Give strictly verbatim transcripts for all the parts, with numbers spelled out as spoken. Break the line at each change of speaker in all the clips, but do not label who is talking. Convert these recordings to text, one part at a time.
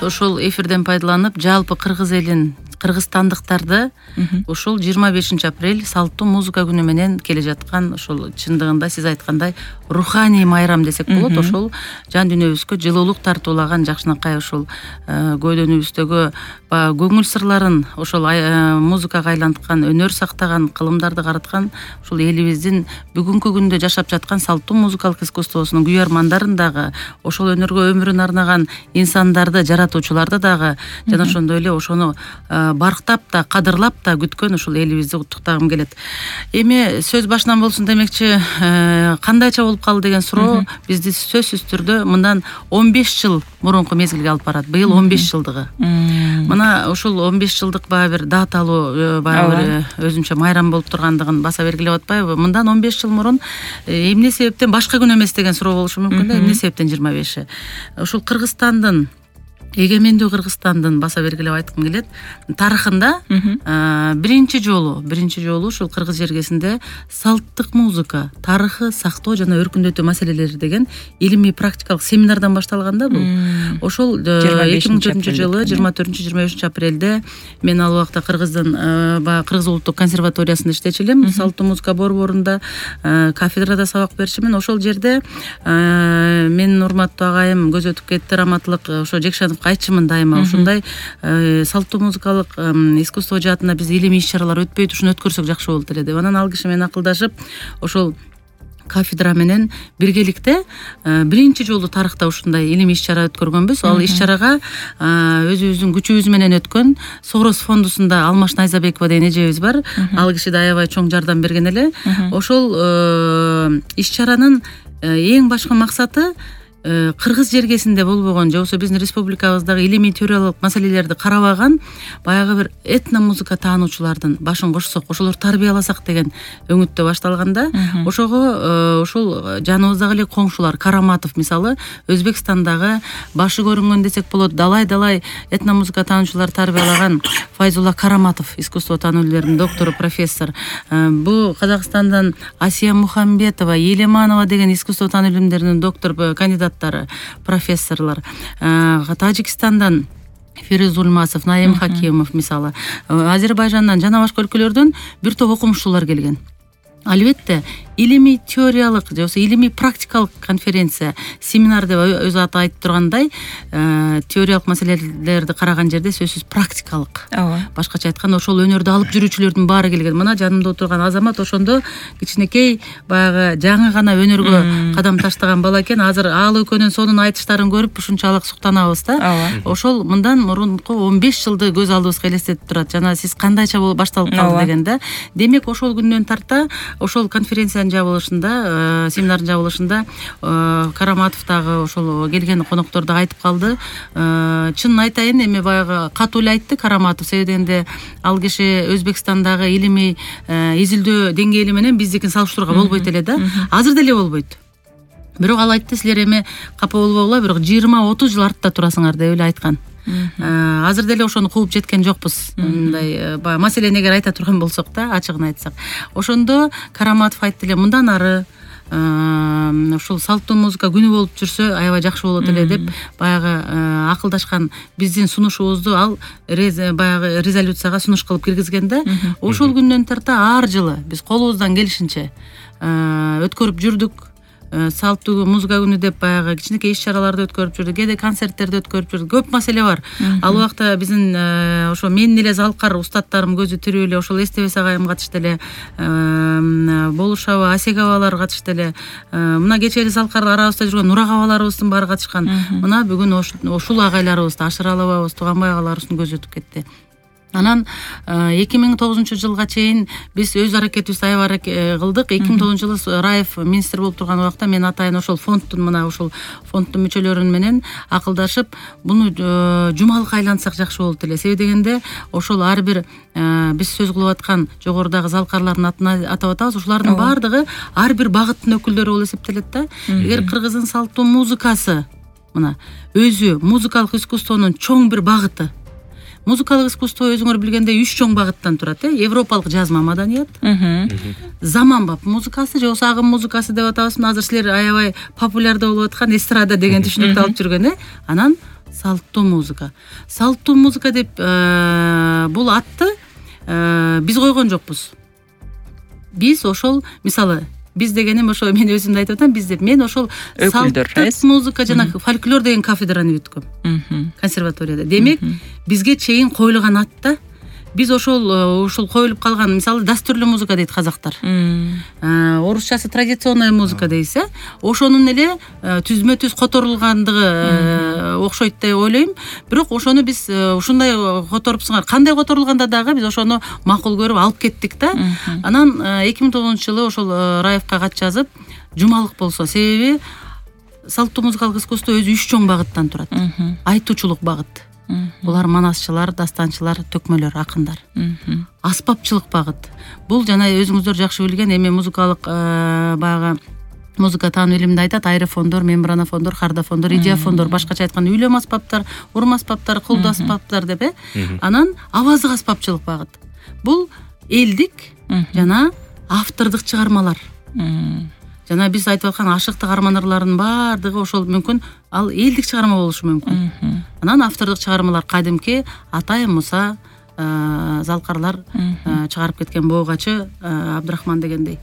ошол эфирден пайдаланып жалпы кыргыз элин, кыргызстандыктарды ушул жыйырма бешинчи апрель салттуу музыка күнү менен келе жаткан ошол чындыгында сиз айткандай руханий майрам десек болот. Ошол жан дүйнөбүзгө жылуулук тартуулаган жакшынакай ошол көөдөнүбүздөгү баягы көңүл сырларын ошол музыкага айланткан, өнөр сактаган, кылымдарды караткан ушул элибиздин бүгүнкү күндө жашап жаткан салттуу музыкалык искусствосунун күйөрмандарын дагы, ошол өнөргө өмүрүн арнаган инсандарды, жаратуучуларды дагы жана ошондой эле ошону барктап да, кадырлап да күткөн ушул элибизди куттуктагым келет. Эми сөз башынан болсун демекчи, кандайча болуп калды деген суроо бизди сөзсүз түрдө мындан он беш жыл мурунку мезгилге алып барат. Быйыл он беш жылдыгы. Мына ушул он беш жылдык баягы бир даталуу баягы бир өзүнчө майрам болуп тургандыгын баса бергилеп атпайбы? Мындан он беш жыл мурун эмне себептен башка күн эмес деген суроо болушу мүмкүн да. Эмне себептен жыйырма беши? Ушул Кыргызстандын, эгемендүү Кыргызстандын баса бергилеп айткым келет, тарыхында биринчи жолу, биринчи жолу ушул кыргыз жергесинде салттык музыка тарыхы сактоо жана өркүндөтүү маселелери деген илимий практикалык семинардан башталган да бул. Ошол эки миң төртүнчү жылы жыйырма төртүнчү жыйырма бешинчи апрелде мен ал убакта Кыргыздын баягы Кыргыз улуттук консерваториясында иштечү элем, салттуу музыка борборунда кафедрада сабак берчүмүн. Ошол жерде менин урматтуу агайым көз өтүп кетти, раматтылык ошо Жекшанов айтчымын дайыма, ушундай салттуу музыкалык искусство жаатында биз илимий иш-чаралар өтпөйт, ушуну өткөрсөк жакшы болот эле деп. Анан ал киши менен акылдашып, ошол кафедра менен биргеликте биринчи жолу тарыхта ушундай илимий иш-чара өткөргөнбүз. Ал иш-чарага өзүбүздүн күчүбүз менен өткөн Сорос фондусунда Алмаш Найзабекова деген эжебиз бар. Ал киши да аябай чоң жардам берген эле. Ошол иш-чаранын эң башкы максаты кыргыз жергесинде болбогон же болбосо биздин республикабыздагы илимий теориялык маселелерди карабаган баягы бир этно музыка таануучулардын башын кошсок, ошолорду тарбияласак деген өңүттө башталганда, ошого ошол жаныбыздагы эле коңшулар, Караматов мисалы, Өзбекстандагы башы көрүнгөн десек болот, далай-далай этно музыка таануучулар тарбиялаган Файзулла Караматов, искусство таануулеринин доктору, профессор. Бу Казакстандан Асия Мухамбетова, Елеманова деген искусство таануу илимдеринин доктор, кандидат профессорлор, Тажикстандан Фирuz Улмасов, Наим Хакимов мисалы, Азербайжандан жана башка өлкөлөрдөн бир топ окумуштуулар келген. Албетте илимий теориялык же болбосо илимий практикалык конференция, семинар деп өзү аты айтып тургандай, теориялык маселелерди караган жерде сөзсүз практикалык. Башкача айтканда ошол өнөрдү алып жүрүүчүлөрдүн баары келген. Мына жанымда отурган азамат ошондо кичинекей баягы жаңы гана өнөргө кадам таштаган бала экен. Азыр ал экөөнүн сонун айтыштарын көрүп ушунчалык суктанабыз да. Ошол мындан мурунку он беш жылды көз алдыбызга элестетип турат. Жана сиз кандайча болуп башталып калды дегенде, демек ошол күндөн тарта ошол конференция жабылышында, семинардын жабылышында Караматов дагы ошол келген конокторду айтып калды. Чынын айтайын, эми баягы катуу эле айтты Караматов, себеби дегенде ал киши Өзбекстандагы илимий изилдөө деңгээли менен биздикин салыштырууга болбойт эле да. Азыр деле болбойт. Бирок ал айтты, силер эми капа болбогула, бирок жыйырма отуз жыл артта турасыңар деп эле айткан. Азыр деле ошону кууп жеткен жокпуз. Мындай баягы маселени эгер айта турган болсок да, ачыгын айтсак. Ошондо Караматов айтты эле, мындан ары ушул салттуу музыка күнү болуп жүрсө аябай жакшы болот эле деп баягы акылдашкан, биздин сунушубузду ал баягы резолюцияга сунуш кылып киргизген да. Ошол күндөн тарта ар жылы биз колубуздан келишинче өткөрүп жүрдүк. Салттуу музыка күнү деп баягы кичинекей иш-чараларды өткөрүп жүрдүк, кээде концерттерди өткөрүп жүрдүк. Көп маселе бар. Ал убакта биздин ошо менин эле залкар устаттарым көзү тирүү эле, ошол Эстебес агайым катышты эле, Болушова, Асегабалар катышты эле. Мына кечээ эле залкар арабызда жүргөн Нурагабаларыбыздын баары катышкан. Мына бүгүн ушул агайларыбызды, Ашыралыбабыз, Туганбай агаларыбыздын көзү өтүп кетти. Анан эки миң тогузунчу жылга чейин биз өз аракетибизди аябай кылдык. эки миң тогузунчу жылы Раев министр болуп турган убакта мен атайын ошол фондтун мына ошол фонддун мүчөлөрү менен акылдашып, буну жумалыкка айлантсак жакшы болот эле. Себеби дегенде ошол ар бир биз сөз кылып аткан жогорудагы залкарлардын атын атап атабыз. Ушулардын баардыгы ар бир багыттын өкүлдөрү болуп эсептелет да. Эгер кыргыздын салттуу музыкасы мына өзү музыкалык искусствонун чоң бир багыты. Музыкалык искусство өзүңөр билгендей үч чоң багыттан турат, э? Европалык жазма маданият, заманбап музыкасы же болбосо агым музыкасы деп атабызбы. Азыр силер аябай популярдуу болуп аткан эстрада деген түшүнүктү алып жүргөн, э? Анан салттуу музыка. Салттуу музыка деп бул атты биз койгон жокпуз. Биз ошол мисалы биз дегеним ошо мен өзүмдү айтып атам, биз деп мен ошол салттык музыка жана фольклор деген кафедраны бүткөм консерваторияда. Демек бизге чейин коюлган ат да. Биз ошол ушул коюлуп калган, мисалы дастурлуу музыка дейт казактар. Орусчасы традиционная музыка дейс, э? Ошонун эле түзмө түз которулгандыгы окшойт деп ойлойм. Бирок ошону биз ушундай которупсуңар, кандай которулганда дагы биз ошону макул көрүп алып кеттик да. Анан эки миң тогузунчу жылы ошол Раевка кат жазып, жумалык болсо, себеби салттуу музыкалык искусство өзү үч чоң багыттан турат. Айтуучулук багыт. Булар манасчылар, дастанчылар, төкмөлөр, акындар. Аспапчылык багыт. Бул жана өзүңүздөр жакшы билген эми музыкалык баягы музыка таануу илиминде айтат, аэрофондор, мембранофондор, кардофондор, идиафондор, башкача айтканда үйлөм аспаптар, урум аспаптар, кулду аспаптар деп э. Анан аваздык аспапчылык багыт. Бул элдик жана автордук чыгармалар. Жана биз айтып аткан ашыктык арманырлардын баардыгы ошол мүмкүн ал элдик чыгарма болушу мүмкүн. Анан автордук чыгармалар кадимки Атай Муса, Залкарлар чыгарып кеткен Боогачы Абдрахман дегендей.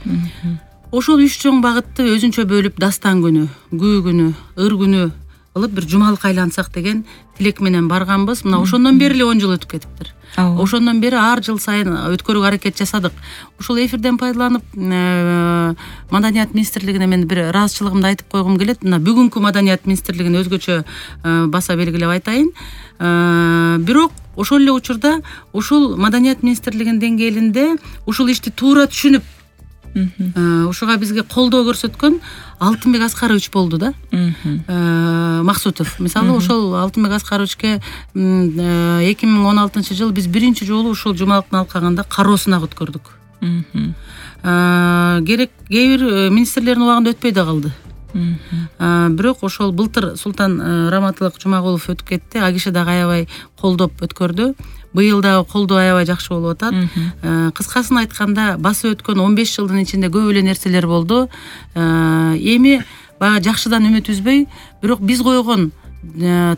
Ошол үч чоң багытты өзүнчө бөлүп дастан күнү, күү күнү, ыр күнү кылып бир жумалык айлансак деген тилек менен барганбыз. Мына ошондон бери эле он жыл өтүп кетиптир. Ошондон бери ар жыл сайын өткөрүүгө аракет жасадык. Ушул эфирден пайдаланып Маданият министрлигине мен бир ыраазычылыгымды айтып койгум келет. Мына бүгүнкү Маданият министрлигин өзгөчө баса белгилеп айтайын. Бирок ошол эле учурда ушул Маданият министрлигинин деңгээлинде ушул ишти туура түшүнүп ушуга бизге колдоо көрсөткөн Алтынбек Аскарович болду да. Максутов. Мисалы ошол Алтынбек Аскаровичке эки миң он алтынчы жыл биз биринчи жолу ушул жумалыктын алкагында кароо сынак өткөрдүк. Керек кээ бир министрлердин убагында өтпөй да калды. Бирок ошол былтыр Султан Раматылык Жумагулов өтүп кетти. А киши дагы аябай колдоп өткөрдү. Быйыл дагы колдоо аябай жакшы болуп атат. Кыскасын айтканда басып өткөн он беш жылдын ичинде көп эле нерселер болду. Эми баягы жакшыдан үмүт үзбөй, бирок биз койгон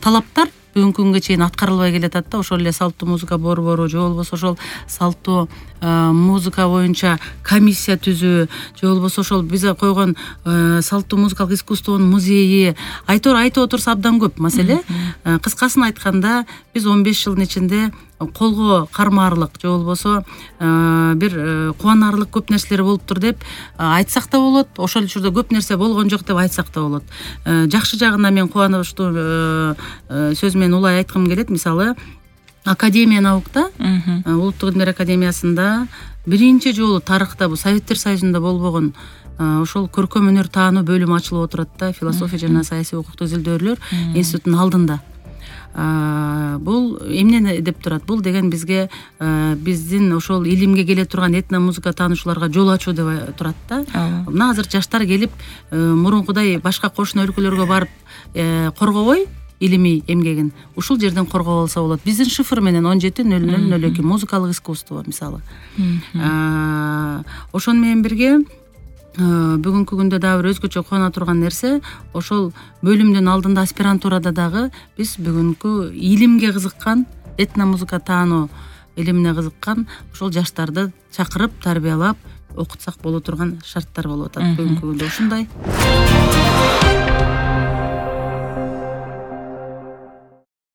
талаптар бүгүнкү күнгө чейин аткарылбай келатат да. Ошол эле салттуу музыка борбору, же болбосо ошол салттуу музыка боюнча комиссия түзүү, же болбосо ошол биз койгон салттуу музыкалык искусствонун музейи, айтор айтып отурса абдан көп маселе. Кыскасын айтканда биз он беш жылдын ичинде колго кармаарлык, же болбосо бир кубанарлык көп нерселер болуптур деп айтсак да болот. Ошол учурда көп нерсе болгон жок деп айтсак да болот. Жакшы жагына мен кубанычтуу сөз менен улай айткым келет. Мисалы, Академия наукта, Улуттук илимдер академиясында биринчи жолу тарыхта бул Советтер Союзунда болбогон ошол көркөм өнөр таануу бөлүмү ачылып отурат да. Философия жана саясий укуктук изилдөөлөр институтунун алдында. Бул эмнени деп турат? Бул деген бизге биздин ошол илимге келе турган этно музыка таануучуларга жол ачуу деп турат да. Мына азыр жаштар келип мурункудай башка кошуна өлкөлөргө барып коргобой илимий эмгегин ушул жерден коргоп алса болот. Биздин шифр менен он жети нөл нөл нөл эки музыкалык искусство мисалы. Ошону менен бирге бүгүнкү күндө дагы бир өзгөчө кубана турган нерсе, ошол бөлүмдүн алдында аспирантурада дагы биз бүгүнкү илимге кызыккан, этно музыка таануу илимине кызыккан ошол жаштарды чакырып, тарбиялап окутсак боло турган шарттар болуп атат бүгүнкү күндө. Ушундай.